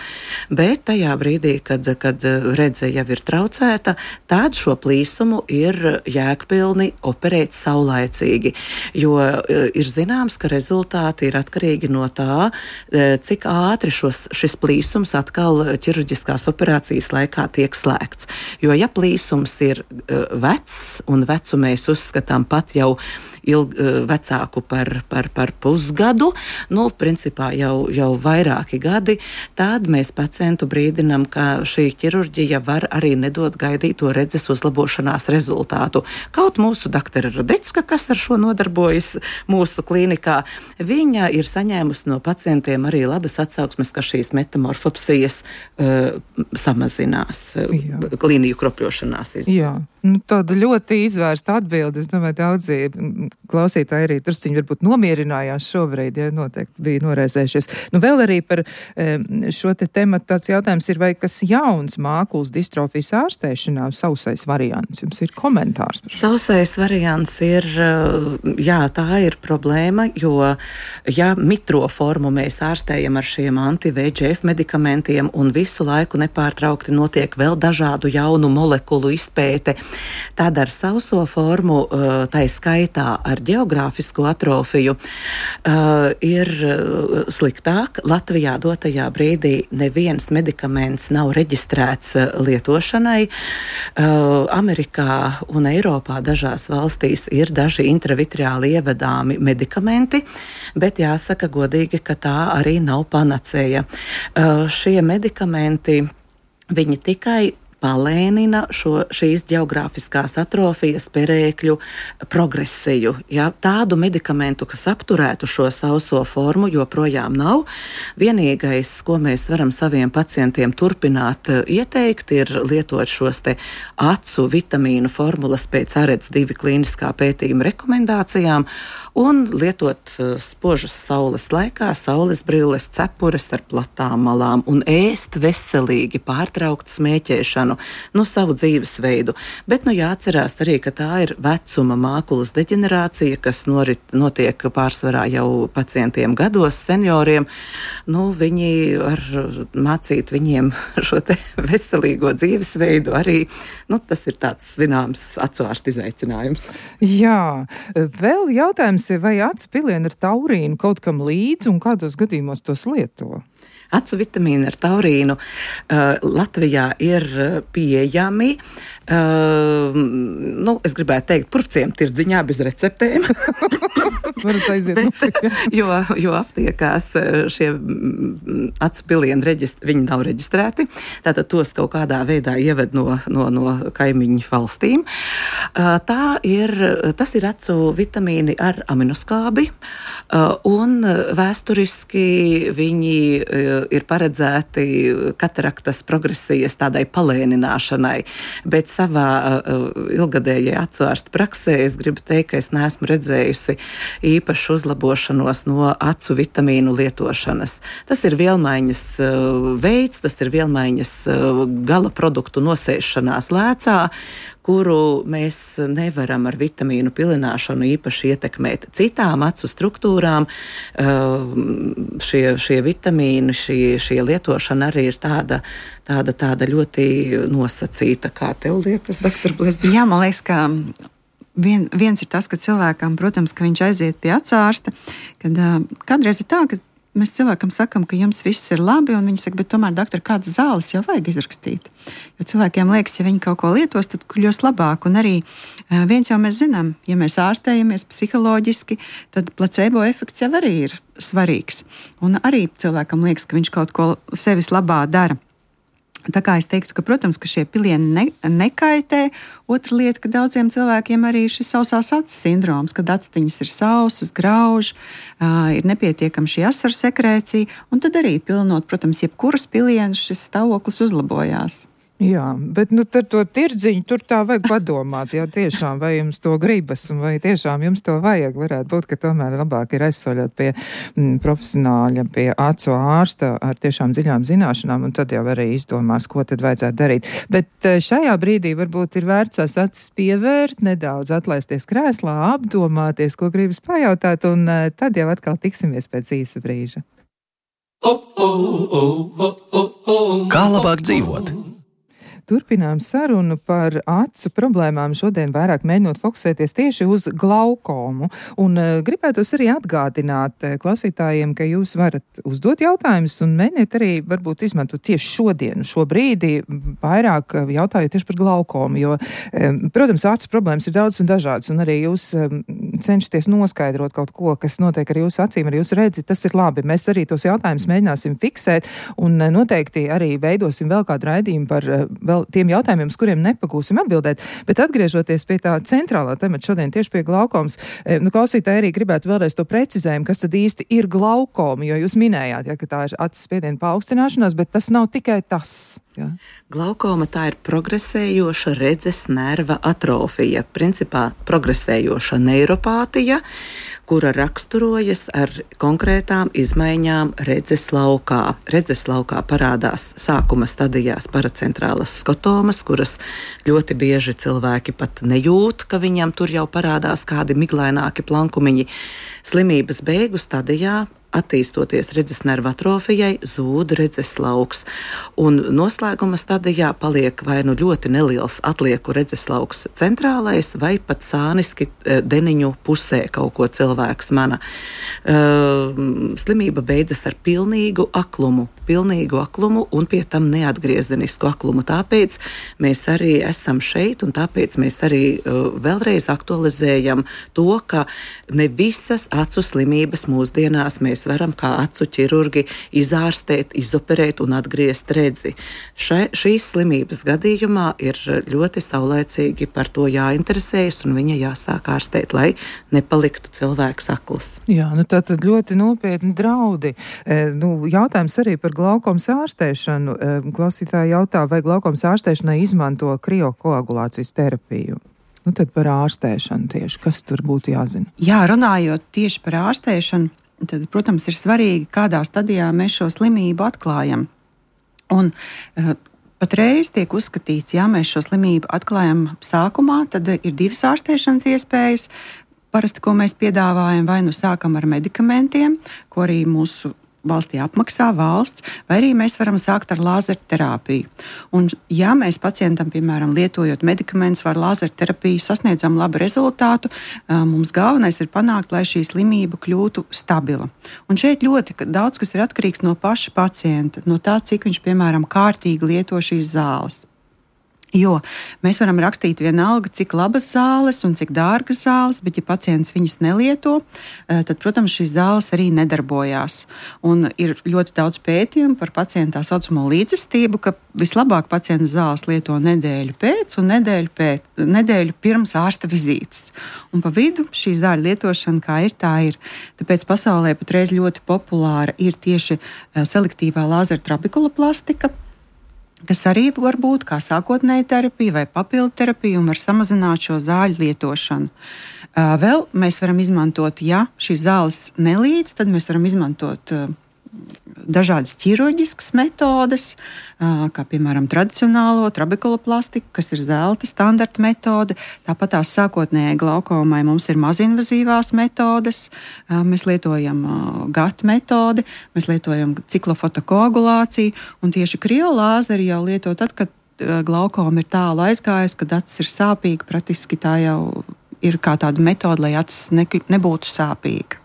[SPEAKER 3] Bet tajā brīdī, kad, kad redze jau ir traucēta, tad šo plīsumu ir jēgpilni operēt saulaicīgi, jo ir zināms, ka rezultāti ir atkarīgi no tā, cik ātri šos, šis plīsums atkal ķirurģiskās operācijas laikā tiek slēgts. Jo ja plīsums ir vecs, un vecu mēs uzskatām pat jau ilg, vecāku par, par, par pusgadu, nu, principā jau, jau vairāki gadi, tad mēs pacientu brīdinam, ka šī ķirurģija var arī nedot gaidīto redzes uzlabošanās rezultātu. Kaut mūsu doktora Radecka, kas ar šo nodarbojas mūsu klīnikā, viņa ir saņēmusi no pacientiem arī labas atsauksmes, ka šīs metamorfopsijas uh, samazinās, uh, līniju kropļošanās. Iz...
[SPEAKER 2] Jā, nu, tāda ļoti izvērsta atbilde. Es domāju, daudzi klausītāji arī drusciņi varbūt nomierinājās šobrīd, ja noteikti bija noraizējušies. Nu, vēl arī par šo te tematu tāds jautājums ir, vai kas jauns mākulas distrofijas ārstēšanā, sausais variants? Jums ir komentārs par šo?
[SPEAKER 3] Sausais variants ir, jā, tā ir problēma, jo ja mitro formu mēs ārstējam ar šiem anti-V G F medikamentiem un visu laiku nepārtraukti notiek vēl dažādu jaunu molekulu izpēte, tad ar sauso formu, tai skaitā ar geogrāfisko atrofiju, ir sliktāk. Latvijā dotajā brīdī neviens medikaments nav reģistrēts lietošanai. Amerikā un Eiropā dažās valstīs ir daži intravitriāli ievedāmi medikamenti, bet jāsaka godīgi, ka tā arī nav panacēja. Šie medikamenti, viņi tikai palēnina šo, šīs ģeogrāfiskās atrofijas perēkļu progresiju. Ja? Tādu medikamentu, kas apturētu šo sauso formu, joprojām nav. Vienīgais, ko mēs varam saviem pacientiem turpināt ieteikt, ir lietot šos te acu vitamīnu formulas pēc A R E D S divi klīniskā pētījuma rekomendācijām un lietot spožas saules laikā saules brilles, cepures ar platām malām un ēst veselīgi, pārtraukt smēķēšanu, nu savu dzīvesveidu. Bet nu jāatcerās arī, ka tā ir vecuma mākulas deģenerācija, kas norit, notiek pārsvarā jau pacientiem gados, senioriem. Nu, viņi ar mācīt viņiem šo te veselīgo dzīvesveidu arī, nu, tas ir tāds zināms acu ārsta izaicinājums.
[SPEAKER 2] Jā, vēl jautājums ir, vai acu pilieni ar taurīnu kaut kam līdzi un kādos gadījumos tos lieto?
[SPEAKER 3] Acu vitamīni ar taurīnu uh, Latvijā ir pieejami. Uh, nu, es gribētu teikt, purvciem tirdziņā bez receptēm. Bet, jo, jo aptiekās šie acu pilieni reģist, viņi nav reģistrēti. Tātad tos kaut kādā veidā ieved no, no, no kaimiņu valstīm. Uh, tā ir, tas ir acu vitamīni ar aminoskābi. Uh, un vēsturiski viņi uh, ir paredzēti kataraktas progresijas tādai palēnināšanai, bet savā uh, ilgadējai acu ārsta praksē es gribu teikt, ka es neesmu redzējusi īpašu uzlabošanos no acu vitamīnu lietošanas. Tas ir vielmaiņas uh, veids, tas ir vielmaiņas uh, gala produktu nosēšanās lēcā, kuru mēs nevaram ar vitamīnu pilināšanu īpaši ietekmēt. Citām acu struktūrām uh, šie, šie vitamīni, šī, šie lietošana arī ir tāda, tāda, tāda ļoti nosacīta. Kā tev liekas, doktor Blezija?
[SPEAKER 4] Jā, man liekas, ka vien, viens ir tas, ka cilvēkam, protams, ka viņš aiziet pie acu ārsta, kad uh, kādreiz ir tā, ka mēs cilvēkam sakam, ka jums viss ir labi, un viņi saka, bet tomēr, doktor, kādas zāles jau vajag izrakstīt. Jo cilvēkiem liekas, ja viņi kaut ko lietos, tad kļūs labāk. Un arī uh, viens jau mēs zinām, ja mēs ārstējamies psiholoģiski, tad placebo efekts jau arī ir svarīgs. Un arī cilvēkam liekas, ka viņš kaut ko sevis labā dara. Tā kā es teiktu, ka, protams, ka šie pilieni ne, nekaitē. Otra lieta, ka daudziem cilvēkiem arī ir šis sausās acis sindroms, kad aciņas ir sausas, grauž, uh, ir nepietiekama šī asaru sekrēcija, un tad arī pilinot, protams, jebkuras pilienas šis stāvoklis uzlabojās.
[SPEAKER 2] Jā, bet nu tad to tirdziņu tur tā vajag padomāt, jā, tiešām, vai jums to gribas, un vai tiešām jums to vajag. Varētu būt, ka tomēr labāk ir aizsoļot pie m, profesionāļa, pie acu ārsta ar tiešām dziļām zināšanām, un tad jau arī izdomās, ko tad vajadzētu darīt. Bet šajā brīdī varbūt ir vērts tās acis pievērt, nedaudz atlaisties krēslā, apdomāties, ko gribas pajautāt, un tad jau atkal tiksimies pēc īsa brīža.
[SPEAKER 1] Kā labāk dzīvot?
[SPEAKER 2] Turpinām sarunu par acu problēmām, šodien vairāk mēģinot fokusēties tieši uz glaukomu. Un uh, gribētos arī atgādināt uh, klausītājiem, ka jūs varat uzdot jautājumus un mēģiniet arī varbūt izmantot tieši šodienu, šo brīdi, vairāk uh, jautājot tieši par glaukomu, jo, um, protams, acu problēmas ir daudz un dažādas, un arī jūs um, cenšaties noskaidrot kaut ko, kas notiek ar jūsu acīm, ar jūsu redzi, tas ir labi. Mēs arī tos jautājumus mēģināsim fiksēt un uh, noteikti arī veidosim vēl kādu raidījumu par uh, vēl tiem jautājumiem, uz kuriem nepagūsim atbildēt, bet atgriežoties pie tā centrālā temata šodien tieši pie glaukomas, nu, klausītāji arī gribētu vēlreiz to precizējumu, kas tad īsti ir glaukoma, jo jūs minējāt, ja, ka tā ir acis spiediena paaugstināšanās, bet tas nav tikai tas. Ja.
[SPEAKER 3] Glaukoma tā ir progresējoša redzes nerva atrofija, principā progresējoša neiropātija, kura raksturojas ar konkrētām izmaiņām redzes laukā. Redzes laukā parādās sākuma stadijās paracentrālas skotomas, kuras ļoti bieži cilvēki pat nejūt, ka viņam tur jau parādās kādi miglaināki plankumiņi. Slimības beigu stadijā, attīstoties redzes nerva atrofijai, zūd redzes lauks. Un noslēguma stadijā paliek vai nu ļoti neliels atlieku redzes lauks centrālais, vai pat sāniski deniņu pusē kaut ko cilvēks mana. Uh, slimība beidzas ar pilnīgu aklumu, pilnīgu aklumu un pie tam neatgriezenisku aklumu. Tāpēc mēs arī esam šeit, un tāpēc mēs arī uh, vēlreiz aktualizējam to, ka ne visas acu slimības mūsdienās mēs mēs varam kā acu ķirurgi izārstēt, izoperēt un atgriezt redzi. Še, šīs slimības gadījumā ir ļoti saulēcīgi par to jāinteresējas un viņa jāsāk ārstēt, lai nepaliktu cilvēks akls.
[SPEAKER 2] Jā, nu tā tad ļoti nopietni draudi. E, nu, jautājums arī par glaukomas ārstēšanu. E, klausītāji jautā, vai glaukomas ārstēšanai izmanto kriokoagulācijas terapiju? Nu, tad par ārstēšanu tieši. Kas tur būtu jāzina?
[SPEAKER 4] Jā, runājot tieši par ārstēšanu, tad, protams, ir svarīgi, kādā stadijā mēs šo slimību atklājam. Un uh, patreiz tiek uzskatīts, ja mēs šo slimību atklājam sākumā, tad ir divas ārstēšanas iespējas. Parasti, ko mēs piedāvājam, vai nu sākam ar medikamentiem, ko arī mūsu valstī apmaksā valsts, vai arī mēs varam sākt ar lāzerterapiju. Un, ja mēs pacientam, piemēram, lietojot medikamentus vai lāzerterapiju, sasniedzam labu rezultātu, mums galvenais ir panākt, lai šī slimība kļūtu stabila. Un šeit ļoti daudz kas ir atkarīgs no paša pacienta, no tā, cik viņš, piemēram, kārtīgi lieto šīs zāles. Jo mēs varam rakstīt vienalga, cik labas zāles un cik dārgas zāles, bet ja pacients viņas nelieto, tad, protams, šīs zāles arī nedarbojās. Un ir ļoti daudz pētījumu par pacientu tā saucamo līdzestību, ka vislabāk pacients zāles lieto nedēļu pēc un nedēļu, pēc, nedēļu pirms ārsta vizītes. Un pa vidu šī zāļu lietošana, kā ir, tā ir. Tāpēc pasaulē patreiz ļoti populāra ir tieši selektīvā lāzertrabekuloplastika, kas arī var būt kā sākotnēja terapija vai papildu terapija un var samazināt šo zāļu lietošanu. Vēl mēs varam izmantot, ja šīs zāles nelīdz, tad mēs varam izmantot dažādas ķirurģiskas metodes, kā piemēram tradicionālo trabekuloplastiku, kas ir zelta standarta metode. Tāpat tās sākotnējai glaukomai mums ir mazinvazīvās metodes. Mēs lietojam gata metodi, mēs lietojam ciklofotokoagulāciju, un tieši kriolāzeri jau lieto tad, kad glaukoma ir tālu aizgājusi, kad acis ir sāpīga. Praktiski tā jau ir kā tāda metode, lai acis ne, nebūtu sāpīga.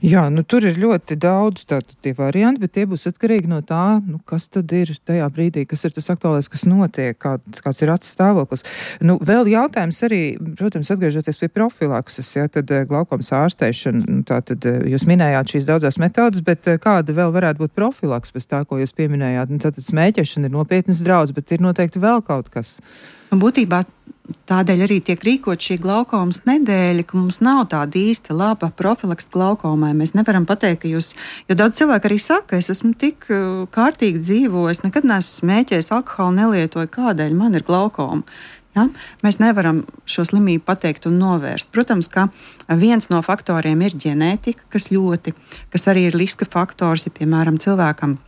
[SPEAKER 2] Jā, nu tur ir ļoti daudz tātad tie varianti, bet tie būs atkarīgi no tā, nu, kas tad ir tajā brīdī, kas ir tas aktuālais, kas notiek, kāds, kāds ir acis stāvoklis. Nu, vēl jautājums arī, protams, atgriežoties pie profilakses, ja, tad glaukomas ārstēšana, nu, tātad jūs minējāt šīs daudzās metodas, bet kāda vēl varētu būt profilaks pēc tā, ko jūs pieminējāt? Nu, tātad smēķēšana ir nopietnas draudz, bet ir noteikti vēl kaut kas.
[SPEAKER 4] Būtībā tādēļ arī tiek rīkot šī glaukomas nedēļa, ka mums nav tāda īsta laba profilakse glaukomai. Mēs nevaram pateikt, ka jūs, jo daudz cilvēku arī saka, es esmu tik kārtīgi dzīvojis, nekad neesmu smēķējis, alkoholu nelietoju, kādēļ man ir glaukoma. Ja? Mēs nevaram šo slimību pateikt un novērst. Protams, ka viens no faktoriem ir ģenētika, kas ļoti, kas arī ir riska faktors, ja piemēram cilvēkam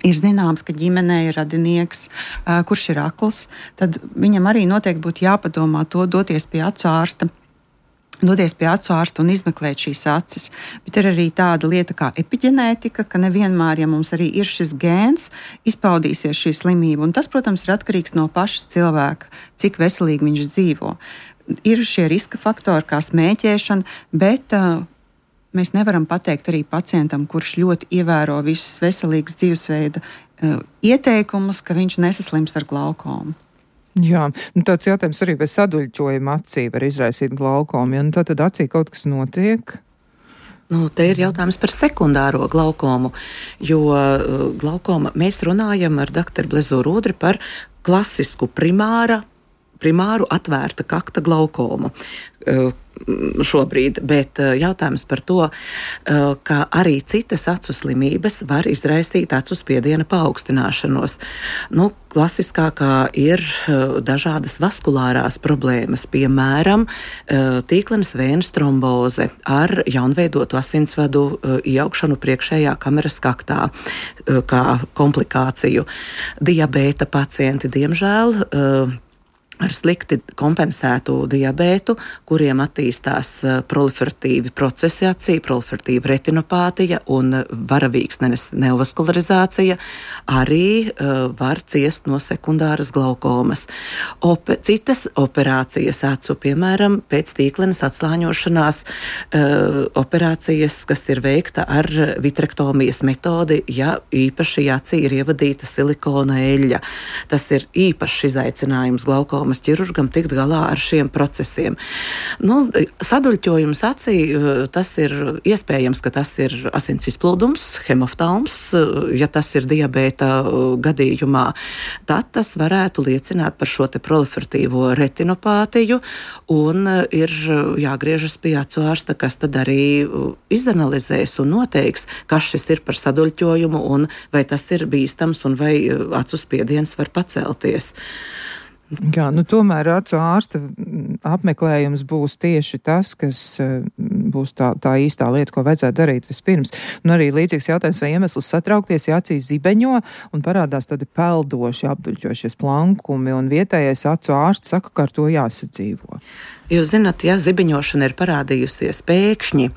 [SPEAKER 4] ir zināms, ka ģimenē ir radinieks, uh, kurš ir akls, tad viņam arī noteikti būtu jāpadomā to doties pie acu ārsta, doties pie acu ārsta un izmeklēt šīs acis. Bet ir arī tāda lieta kā epiģenētika, ka nevienmēr, ja mums arī ir šis gēns, izpaudīsies šī slimība. Un tas, protams, ir atkarīgs no paša cilvēka, cik veselīgi viņš dzīvo. Ir šie riska faktori kā smēķēšana, bet uh, mēs nevaram pateikt arī pacientam, kurš ļoti ievēro visus veselīgas dzīvesveida uh, ieteikumus, ka viņš nesaslims ar glaukomu.
[SPEAKER 2] Jā, nu tāds jautājums arī, vai saduļķojuma acī var izraisīt glaukomu, ja nu tā tad acī kaut kas notiek?
[SPEAKER 3] Nu, te ir jautājums par sekundāro glaukomu, jo uh, glaukoma, mēs runājam ar doktoru Blezūru Udri par klasisku primāra, primāru atvērta kakta glaukomu. Uh, šobrīd, bet jautājums par to, ka arī citas acu slimības var izraisīt acu spiediena paaugstināšanos. Nu, klasiskākā ir dažādas vaskulārās problēmas, piemēram, tīklenes vēnes tromboze ar jaunveidotu asinsvadu ieaugšanu priekšējā kameras kaktā kā komplikāciju. Diabēta pacienti, diemžēl, ar slikti kompensētu diabētu, kuriem attīstās proliferatīvi procesi acī, proliferatīva retinopātija un varavīksnenes neovaskularizācija, arī uh, var ciest no sekundāras glaukomas. Ope, citas operācijas acu, piemēram, pēc tīklenes atslāņošanās uh, operācijas, kas ir veikta ar vitrektomijas metodi, ja īpaši acī ir ievadīta silikona eļļa. Tas ir īpašs izaicinājums glaukomas traumas ķirurgam tikt galā ar šiem procesiem. Nu, saduļķojums acī, tas ir iespējams, ka tas ir asins izplūdums, hemoftalms, ja tas ir diabēta gadījumā, tad tas varētu liecināt par šo te proliferatīvo retinopātiju un ir jāgriežas pie acu ārsta, kas tad arī izanalizēs un noteiks, kas šis ir par saduļķojumu un vai tas ir bīstams un vai acu spiediens var pacelties.
[SPEAKER 2] Jā, nu tomēr acu ārsta apmeklējums būs tieši tas, kas būs tā, tā īstā lieta, ko vajadzētu darīt vispirms. Un arī līdzīgs jautājums, vai iemesls satraukties, ja acīs zibeņo un parādās tādi peldoši, apduļķošies plankumi, un vietējais acu ārsts saka, ka ar to jāsadzīvo.
[SPEAKER 3] Jūs zināt, ja zibeņošana ir parādījusies pēkšņi,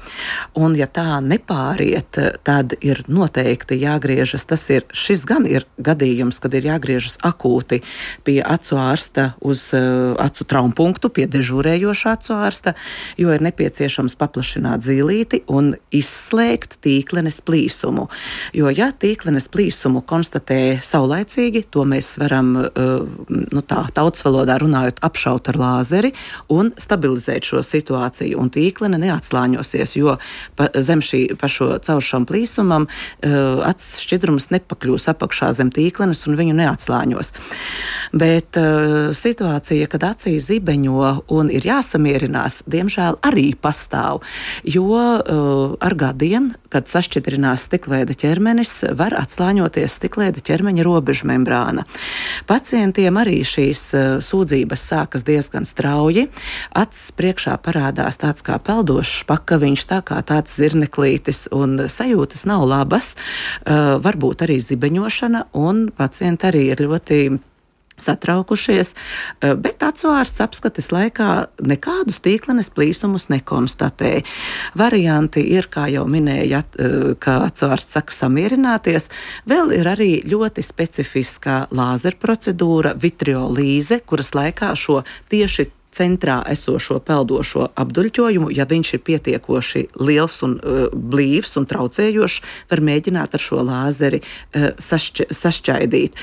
[SPEAKER 3] un ja tā nepāriet, tad ir noteikti jāgriežas. Tas ir, šis gan ir gadījums, kad ir jāgriežas akūti pie acu ārsta uz uh, acu traumpunktu, pie dežūrējošā acu ārsta, jo ir nepieciešams paplašināt zīlīti un izslēgt tīklenes plīsumu. Jo, ja tīklenes plīsumu konstatē saulaicīgi, to mēs varam, uh, nu tā, tautas valodā runājot, apšaut ar lāzeri un stabilizēt šo situāciju, un tīklene neatslāņosies, jo pa, zem šī pa šo cauršam plīsumam uh, acis šķidrums nepakļūs apakšā zem tīklenes un viņu neatslāņos. Bet uh, situācija, kad acī zibeņo un ir jāsamierinās, diemžēl arī pastāv, jo uh, ar gadiem, kad sašķidrinās stiklēda ķermenis, var atslāņoties stiklēda ķermeņa robežmembrāna. Pacientiem arī šīs uh, sūdzības sākas diezgan strauji. Acis priekšā parādās tāds kā peldošs pakaviņš, tā kā tāds zirneklītis, un sajūtas nav labas, uh, varbūt arī zibeņošana, un pacienti arī ir ļoti satraukušies, bet acu ārsts apskates laikā nekādus tīklenes plīsumus nekonstatēja. Varianti ir, kā jau minēja, ka acu ārsts saka samierināties. Vēl ir arī ļoti specifiskā lāzera procedūra, vitriolīze, kuras laikā šo tieši centrā esošo peldošo apduļķojumu, ja viņš ir pietiekoši liels un uh, blīvs un traucējošs, var mēģināt ar šo lāzeri uh, sašķ, sašķaidīt.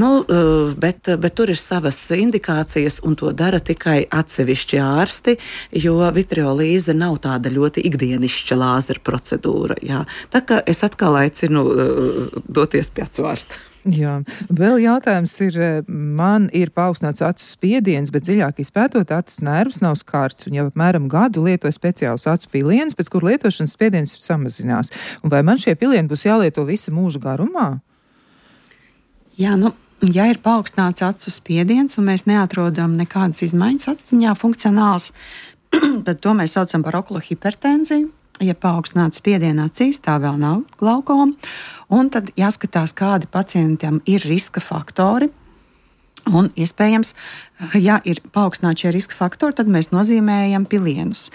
[SPEAKER 3] Nu, uh, bet, bet tur ir savas indikācijas, un to dara tikai atsevišķi ārsti, jo vitriolīze nav tāda ļoti ikdienišķa lāzera procedūra. Jā. Tā kā es atkal aicinu uh, doties pie acu ārsta.
[SPEAKER 2] Jā, vēl jautājums ir, man ir paaugstināts acu spiediens, bet dziļāk izpētot acis nervus nav skarts, un jau apmēram gadu lietoju speciālus acu pilienus, pēc kur lietošanas spiediens samazinās. Un vai man šie pilieni būs jālieto visa mūža garumā?
[SPEAKER 4] Jā, nu, ja ir paaugstināts acu spiediens, un mēs neatrodam nekādas izmaiņas aciņā funkcionāls, tad to mēs saucam par okulo hipertenziju. Ja paaugstināts spiediena acīs, tā vēl nav glaukoma, un tad jāskatās, kādi pacientam ir riska faktori. Un, iespējams, ja ir paaugstināti šie riska faktori, tad mēs nozīmējam pilienus.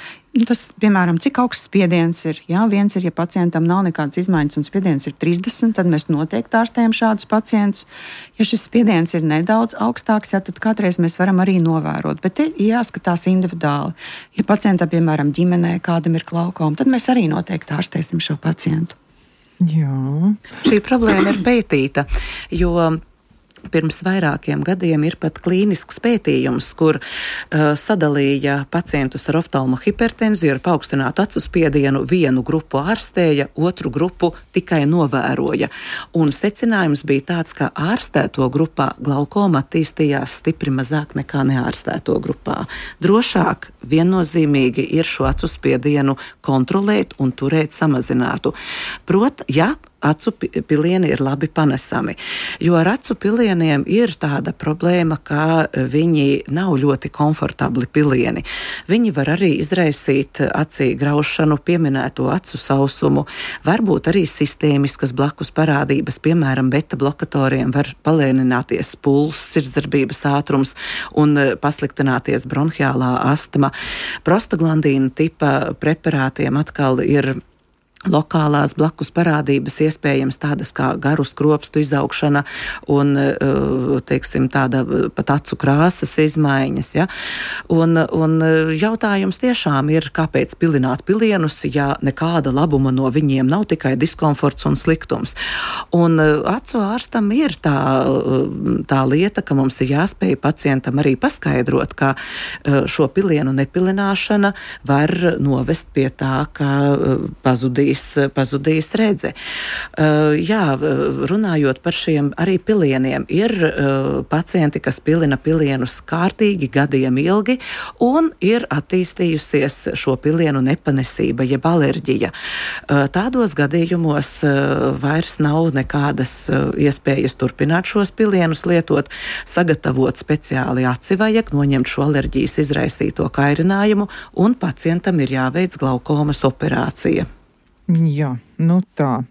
[SPEAKER 4] Tas, piemēram, cik augsts spiediens ir. Jā, viens ir, ja pacientam nav nekādas izmaiņas un spiediens ir trīsdesmit, tad mēs noteikti ārstējam šādus pacientus. Ja šis spiediens ir nedaudz augstāks, jā, tad kādreiz mēs varam arī novērot. Bet te jāskatās individuāli. Ja pacientam, piemēram, ģimenē kādam ir glaukoma, tad mēs arī noteikti ārstēsim šo pacientu.
[SPEAKER 2] Jā.
[SPEAKER 3] Šī problēma ir pētīta, jo pirms vairākiem gadiem ir pat klīnisks pētījums, kur uh, sadalīja pacientus ar oftalmo hipertenziju, ar paaugstinātu acu spiedienu, vienu grupu ārstēja, otru grupu tikai novēroja. Un secinājums bija tāds, ka ārstēto grupā glaukoma attīstījās stipri mazāk nekā neārstēto grupā. Drošāk viennozīmīgi ir šo acu spiedienu kontrolēt un turēt samazinātu. Prot, ja acu pilieni ir labi panesami, jo ar acu pilieniem ir tāda problēma, ka viņi nav ļoti komfortabli pilieni. Viņi var arī izraisīt acī graušanu, pieminēto acu sausumu, varbūt arī sistēmiskas blakus parādības, piemēram, beta blokatoriem var palēnināties pulss, sirdsdarbības ātrums un pasliktināties bronhiālā astma. Prostaglandīna tipa preparātiem atkal ir lokālās blakus parādības, iespējams tādas kā garu skropstu izaugšana un, teiksim, tāda pat acu krāsas izmaiņas. Ja? Un, un jautājums tiešām ir, kāpēc pilināt pilienus, ja nekāda labuma no viņiem nav, tikai diskomforts un sliktums. Un acu ārstam ir tā, tā lieta, ka mums ir jāspēj pacientam arī paskaidrot, ka šo pilienu nepilināšana var novest pie tā, ka pazudīs pazudīs redze. Uh, jā, runājot par šiem arī pilieniem, ir uh, pacienti, kas pilina pilienus kārtīgi gadiem ilgi un ir attīstījusies šo pilienu nepanesība, jeb alerģija. Uh, tādos gadījumos uh, vairs nav nekādas uh, iespējas turpināt šos pilienus lietot, sagatavot speciāli aci vajag, noņemt šo alerģijas izraisīto kairinājumu un pacientam ir jāveic glaukomas operācija.
[SPEAKER 2] Jā, nu tā.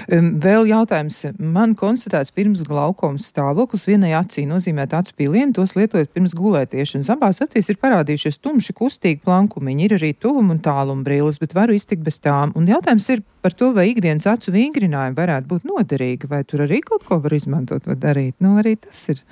[SPEAKER 2] Vēl jautājums. Man konstatēts pirms glaukomas stāvoklis vienai acī, nozīmēt acu pilienu, tos lietojot pirms gulētiešanas. Abās acīs ir parādījušies tumši kustīgi plankumiņi, ir arī tuvuma un tāluma brilles, bet varu iztikt bez tām. Un jautājums ir par to, vai ikdienas acu vingrinājumi varētu būt noderīgi, vai tur arī kaut ko var izmantot vai darīt. Nu, arī tas ir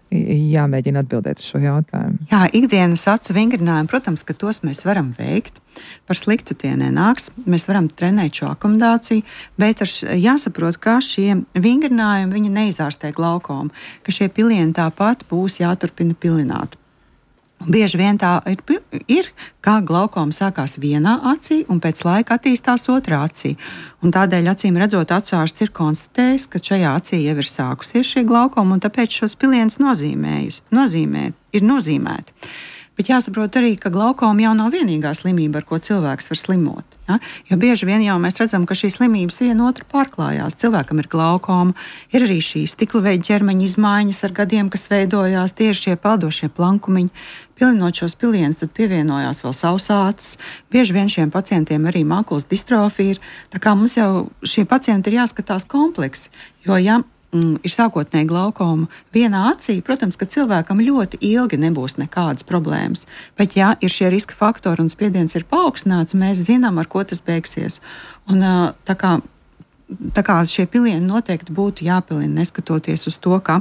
[SPEAKER 2] jāmēģina atbildēt uz šo jautājumu.
[SPEAKER 4] Jā, ikdienas acu vingrinājumi, protams, ka tos mēs varam veikt. Par sliktu tie nenāks. Mēs varam trenēt šo akomodāciju, bet š, jāsaprot, ka šie vingrinājumi viņi neizārstē glaukomu, ka šie pilieni tāpat būs jāturpina pilināt. Bieži vien tā ir, ir, kā glaukoma sākās vienā acī un pēc laika attīstās otrā acī. Un tādēļ, acīm redzot, acuārsts ir konstatējis, ka šajā acī jau ir sākusies šī glaukoma un tāpēc šos pilienus nozīmē, ir nozīmēti. Bet jāsaprot arī, ka glaukoma jau nav vienīgā slimība, ar ko cilvēks var slimot. Ja? Jo bieži vien jau mēs redzam, ka šīs slimības viena otru pārklājās. Cilvēkam ir glaukoma, ir arī šīs stiklaveida ķermeņa izmaiņas ar gadiem, kas veidojās, tie ir šie peldošie plankumiņi. Pilinot šos pilienus, tad pievienojās vēl sausācis. Bieži vien šiem pacientiem arī mākulas distrofija ir. Tā kā mums jau šie pacienti ir jāskatās kompleksi, jo ja Mm, ir sākotnēji glaukoma vienā acī, protams, ka cilvēkam ļoti ilgi nebūs nekādas problēmas. Bet, ja ir šie riska faktori un spiediens ir paaugstināts, mēs zinām, ar ko tas beigsies. Un, tā, kā, tā kā šie pilieni noteikti būtu jāpilina, neskatoties uz to, ka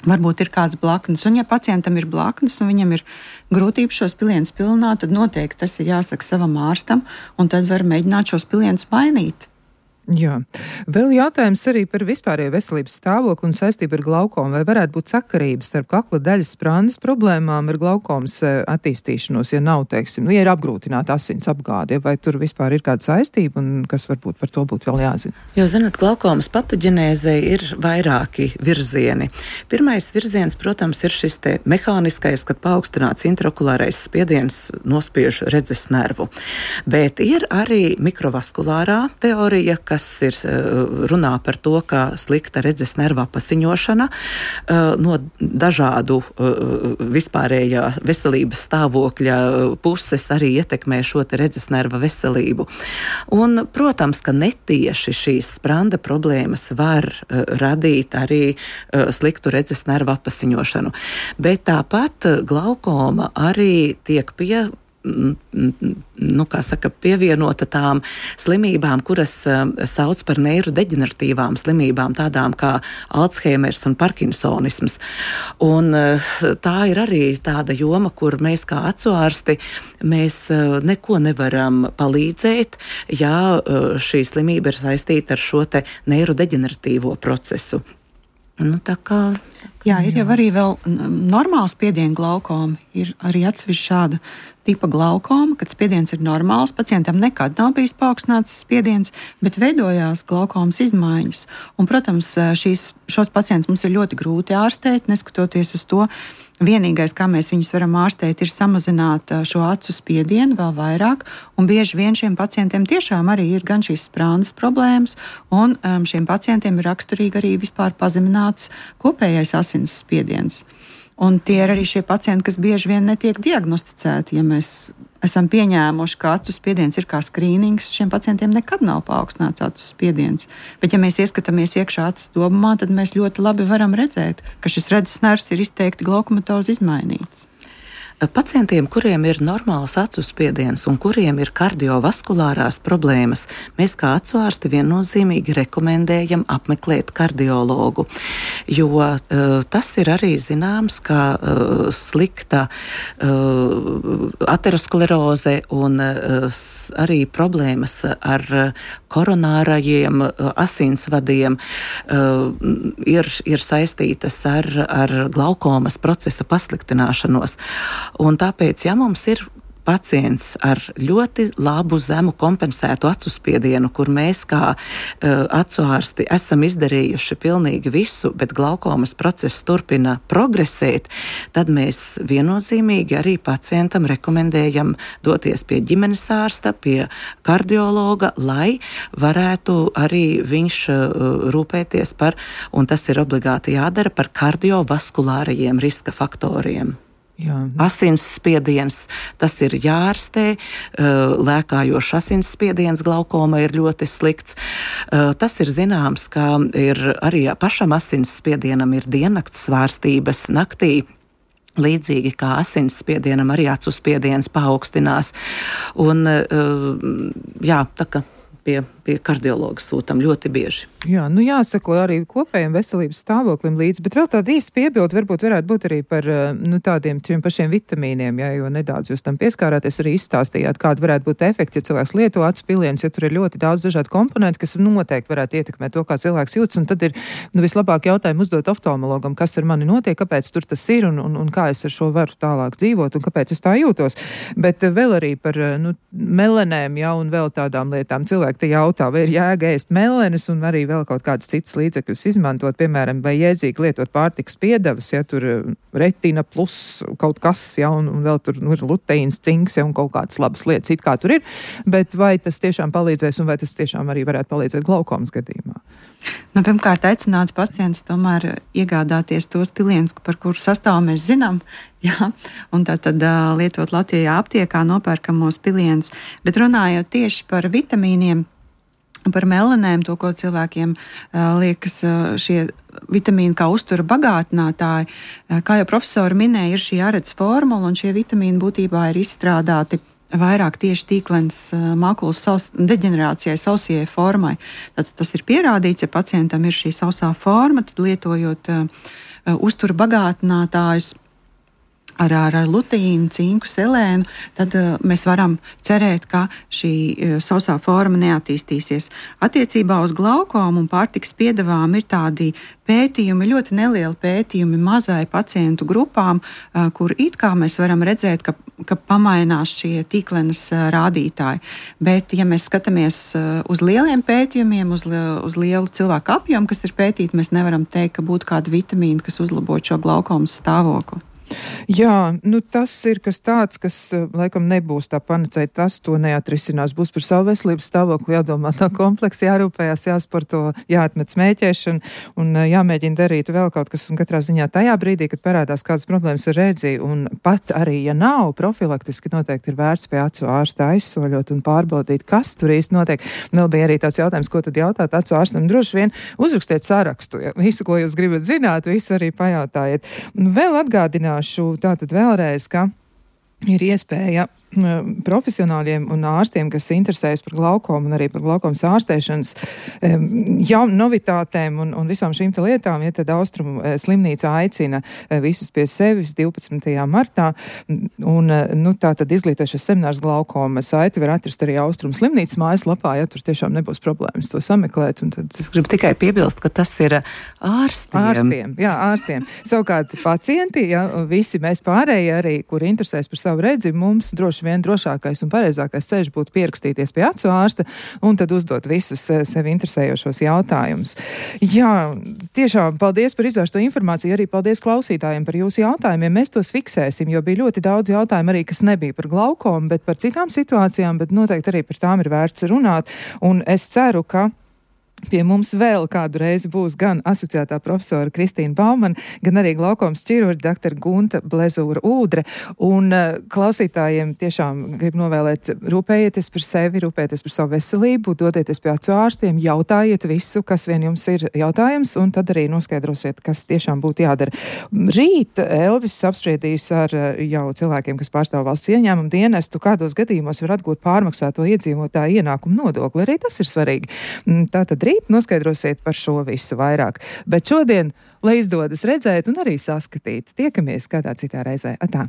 [SPEAKER 4] varbūt ir kāds blaknes. Un, ja pacientam ir blaknes un viņam ir grūtības šos pilienus pilināt, tad noteikti tas ir jāsaka savam ārstam, un tad var mēģināt šos pilienus mainīt.
[SPEAKER 2] Jā. Vēl jautājums arī par vispārējo veselības stāvokli un saistību ar glaukomu. Vai varētu būt sakarības starp kakla daļas sprandas problēmām ar glaukomas attīstīšanos, ja nav, teiksim, ja ir apgrūtināta asins apgāde, vai tur vispār ir kāda saistība un kas varbūt par to būtu vēl jāzina?
[SPEAKER 3] Jo, zināt, glaukomas patoģenēzei ir vairāki virzieni. Pirmais virziens, protams, ir šis te mehāniskais, kad paaugstināts intraokulārais spiediens nospiež redzes nervu. Bet ir arī mikrovaskulārā teorija, kas ir runā par to, ka slikta redzes nerva pasiņošana no dažādu vispārējā veselības stāvokļa puses arī ietekmē šo te redzes nerva veselību. Un, protams, ka netieši šīs spranda problēmas var radīt arī sliktu redzes nerva pasiņošanu. Bet tāpat glaukoma arī tiek pie nu, kā saka, pievienota tām slimībām, kuras uh, sauc par neirodeģeneratīvām slimībām, tādām kā Alzheimers un Parkinsonisms. Un uh, tā ir arī tāda joma, kur mēs kā acuārsti, mēs uh, neko nevaram palīdzēt, ja uh, šī slimība ir saistīta ar šo te neirodeģeneratīvo procesu. Nu, tā kā, tā kā,
[SPEAKER 4] jā, ir jau arī vēl normāls spiediena glaukoma, ir arī atsevišķi šāda tipa glaukoma, kad spiediens ir normāls, pacientam nekad nav bijis paaugstināts spiediens, bet veidojās glaukomas izmaiņas. Un, protams, šīs, šos pacientus mums ir ļoti grūti ārstēt, neskatoties uz to. Vienīgais, kā mēs viņus varam ārstēt, ir samazināt šo acu spiedienu vēl vairāk, un bieži vien šiem pacientiem tiešām arī ir gan šīs sprandas problēmas, un um, šiem pacientiem ir raksturīgi arī vispār pazemināts kopējais asins spiediens. Un tie ir arī šie pacienti, kas bieži vien netiek diagnosticēti. Ja mēs esam pieņēmuši, ka acu spiediens ir kā skrīnings, šiem pacientiem nekad nav paaugstināts acu spiediens. Bet ja mēs ieskatāmies iekšā acu dobumā, tad mēs ļoti labi varam redzēt, ka šis redzes nervs ir izteikti glaukomatozi izmainīts.
[SPEAKER 3] Pacientiem, kuriem ir normāls acu spiediens un kuriem ir kardiovaskulārās problēmas, mēs kā acu ārsti viennozīmīgi rekomendējam apmeklēt kardiologu, jo uh, tas ir arī zināms, ka uh, slikta uh, ateroskleroze un uh, arī problēmas ar koronārajiem uh, asinsvadiem uh, ir, ir saistītas ar, ar glaukomas procesa pasliktināšanos. Un tāpēc, ja mums ir pacients ar ļoti labu zemu kompensētu acu spiedienu, kur mēs kā uh, acu ārsti esam izdarījuši pilnīgi visu, bet glaukomas process turpina progresēt, tad mēs viennozīmīgi arī pacientam rekomendējam doties pie ģimenes ārsta, pie kardiologa, lai varētu arī viņš uh, rūpēties par, un tas ir obligāti jādara, par kardiovaskulārajiem riska faktoriem.
[SPEAKER 2] Jā.
[SPEAKER 3] Asinsspiediens, tas ir jārastē, lēkājošs asinsspiediens glaukoma ir ļoti slikts. Tas ir zināms, ka ir arī pašam asinsspiedienam ir diennakts svārstības naktī. Līdzīgi kā asinsspiedienam arī acu spiediens paaugstinās. Un, jā, tā kā pie, pie kardiologa sūtam ļoti bieži.
[SPEAKER 2] Jā, nu jāsako arī kopējiem veselības stāvoklim līdz, bet vēl tāda īsta piebilde varbūt varētu būt arī par nu, tādiem tiem pašiem vitamīniem, ja, jo nedaudz jūs tam pieskārāties, arī izstāstījāt, kāda varētu būt efekti, ja cilvēks lieto acu pilienus, ja tur ir ļoti daudz dažādu komponentu, kas noteikti varētu ietekmēt to, kā cilvēks jūtas, un tad ir nu, vislabāk jautājumu uzdot oftalmologam, kas ar mani notiek, kāpēc tur tas ir un, un, un kā es ar šo varu tālāk dzīvot un kāpēc es tā jūtos. Bet vēl arī par nu, melenēm, ja, un vēl tādām lietām cilvēki te jautā, vai ir jēga ēst melenes un arī vēl kaut kādas citas līdzekļus izmantot, piemēram, vai jēdzīgi lietot pārtikas piedevas, ja tur retina plus kaut kas, ja, un, un vēl tur nu, ir luteīns, cinks, ja, un kaut kādas labas lietas, it kā tur ir, bet vai tas tiešām palīdzēs un vai tas tiešām arī varētu palīdzēt glaukomas gadījumā?
[SPEAKER 4] Nu, pirmkārt, aicinātu pacientus tomēr iegādāties tos pilienus, par kuru sastāvu mēs zinām, jā, un tā tad uh, lietot Latvijā aptiekā nopērkamos pilienus, bet runājot tieši par vitamīniem, par melanēm, to, ko cilvēkiem uh, liekas uh, šie vitamīni kā uztura bagātinātāji. Uh, kā jau profesori minēja, ir šī arets formula, un šie vitamīni būtībā ir izstrādāti vairāk tieši tīklenes uh, makulas saus, deģenerācijai, sausajai formai. Tad tas ir pierādīts, ja pacientam ir šī sausā forma, tad lietojot uh, uh, uztura bagātinātājus, Ar, ar, ar luteīnu, cinku, selēnu, tad uh, mēs varam cerēt, ka šī uh, sausā forma neattīstīsies. Attiecībā uz glaukomu un pārtikas piedevām ir tādi pētījumi, ļoti nelieli pētījumi mazai pacientu grupām, uh, kur it kā mēs varam redzēt, ka, ka pamainās šie tīklenes uh, rādītāji. Bet, ja mēs skatāmies uh, uz lieliem pētījumiem, uz, uz lielu cilvēku apjomu, kas ir pētīti, mēs nevaram teikt, ka būtu kāda vitamīna, kas uzlabotu šo glaukomas stāvokli.
[SPEAKER 2] Jā, nu tas ir kas tāds, kas laikam nebūs tā panacēja, tas to neatrisinās. Būs par savu veselības stāvokli jādomā tā kompleksi, jārūpējās, jāsporto, jāatmet smēķēšanu un jāmēģina darīt vēl kaut kas. Un katrā ziņā tajā brīdī, kad parādās kādas problēmas ar redzi, un pat arī, ja nav profilaktiski, noteikti ir vērts pie acu ārsta aizsoļot un pārbaudīt, kas tur īsti notiek. Vēl bija arī tāds jautājums, ko tad jautāt acu ārstam. Droši vien uzrakstiet sarakstu, ja visu, ko jūs gribat zināt, visu arī pajautājiet. Un vēl atgādināt tātad vēlreiz, ka ir iespēja profesionāļiem un ārstiem, kas interesējas par glaukomu un arī par glaukomas ārstēšanas jaunu novitātēm un, un visām šīm te lietām, ja tad Austrumu slimnīca aicina visus pie sevis divpadsmitajā martā, un nu, tā tad izglītošais seminārs glaukoma saiti var atrast arī Austrumu slimnīcas mājaslapā, ja tur tiešām nebūs problēmas to sameklēt. Un tad
[SPEAKER 3] es gribu tikai piebilst, ka tas ir ārstiem.
[SPEAKER 2] Ārstiem, jā, ārstiem. Savukārt pacienti, ja, visi mēs pārējie arī, kuri interesēs par savu redzi, mums droši vien drošākais un pareizākais ceļš būtu pierakstīties pie acu ārsta un tad uzdot visus sevi interesējošos jautājumus. Jā, tiešām paldies par izvērsto informāciju, arī paldies klausītājiem par jūsu jautājumiem. Mēs tos fiksēsim, jo bija ļoti daudz jautājumu arī, kas nebija par glaukomu, bet par citām situācijām, bet noteikti arī par tām ir vērts runāt. Un es ceru, ka Pie mums vēl kādu reizi būs gan asociētā profesora Kristīna Baumana, gan arī glaukomas ķirurģa doktora Gunta Blezūra Ūdre. Un uh, klausītājiem tiešām grib novēlēt, rūpējieties par sevi, rūpējieties par savu veselību, dodieties pie acu ārstiem, jautājiet visu, kas vien jums ir jautājums, un tad arī noskaidrosiet, kas tiešām būtu jādara. Rīt Elvis apspriedīs ar uh, jau cilvēkiem, kas pārstāv valsts ieņēmumu dienestu, kādos gadījumos var atgūt pārmaksāto iedzīvotāju ienākumu nodokli. Arī tas ir svarīgi. Tātad rīt noskaidrosiet par šo visu vairāk. Bet šodien, lai izdodas redzēt un arī saskatīt, tiekamies kādā citā reizē. Atā!